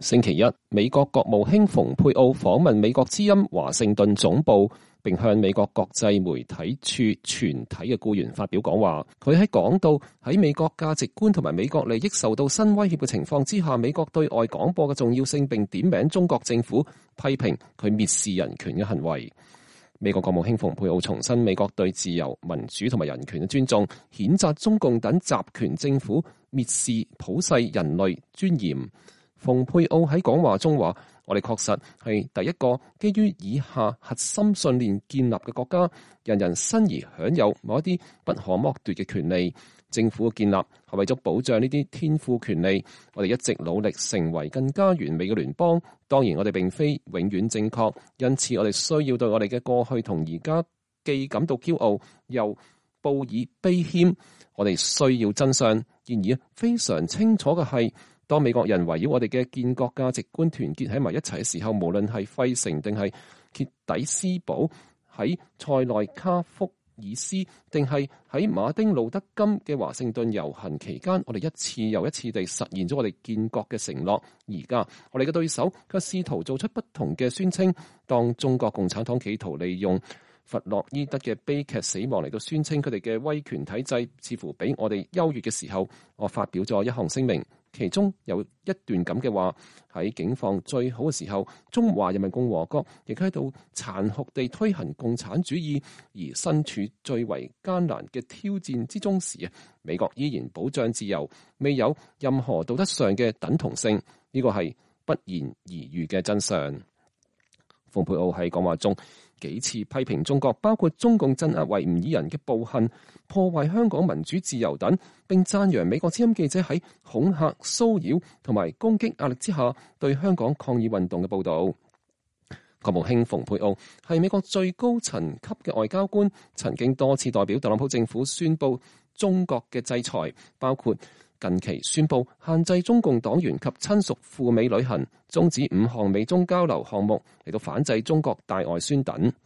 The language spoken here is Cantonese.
星期一，美國國務卿蓬佩奧訪問美國之音華盛頓總部，並向美國國際媒體處全體嘅僱員發表講話。佢喺講到喺美國價值觀同埋美國利益受到新威脅嘅情況之下，美國對外廣播嘅重要性，並點名中國政府批評佢蔑視人權嘅行為。美國國務卿蓬佩奧重申美國對自由、民主同埋人權嘅尊重，譴責中共等集權政府蔑視普世人類尊嚴。蓬佩奧喺講話中話：我哋確實係第一個基於以下核心信念建立嘅國家，人人生而享有某一啲不可剝奪嘅權利。政府嘅建立係為咗保障呢啲天賦權利，我哋一直努力成為更加完美嘅聯邦。當然，我哋並非永遠正確，因此我哋需要對我哋嘅過去同而家既感到驕傲，又報以悲謙。我哋需要真相。然而，非常清楚嘅係，當美國人圍繞我哋嘅建國價值觀團結喺埋一齊嘅時候，無論係費城定係傑底斯堡，喺塞內卡福爾斯定係喺馬丁路德金嘅華盛頓遊行期間，我哋一次又一次地實現咗我哋建國嘅承諾。而家我哋嘅對手卻試圖做出不同嘅宣稱。當中國共產黨企圖利用弗洛伊德嘅悲劇死亡嚟到宣稱佢哋嘅威權體制似乎比我哋優越嘅時候，我發表咗一項聲明，其中有一段咁嘅話：喺境況最好嘅時候，中華人民共和國亦喺度殘酷地推行共產主義；而身處最為艱難嘅挑戰之中時啊，美國依然保障自由，未有任何道德上嘅等同性。呢個係不言而喻嘅真相。蓬佩奧喺講話中幾次批評中國，包括中共鎮壓維吾爾人嘅暴行、破壞香港民主自由等，並讚揚美國之音記者喺恐嚇、騷擾同埋攻擊壓力之下對香港抗議運動嘅報導。國務卿蓬佩奧係美國最高層級嘅外交官，曾經多次代表特朗普政府宣布中國嘅制裁，包括近期宣布限制中共黨員及親屬赴美旅行，終止5項美中交流項目嚟到反制中國大外宣等。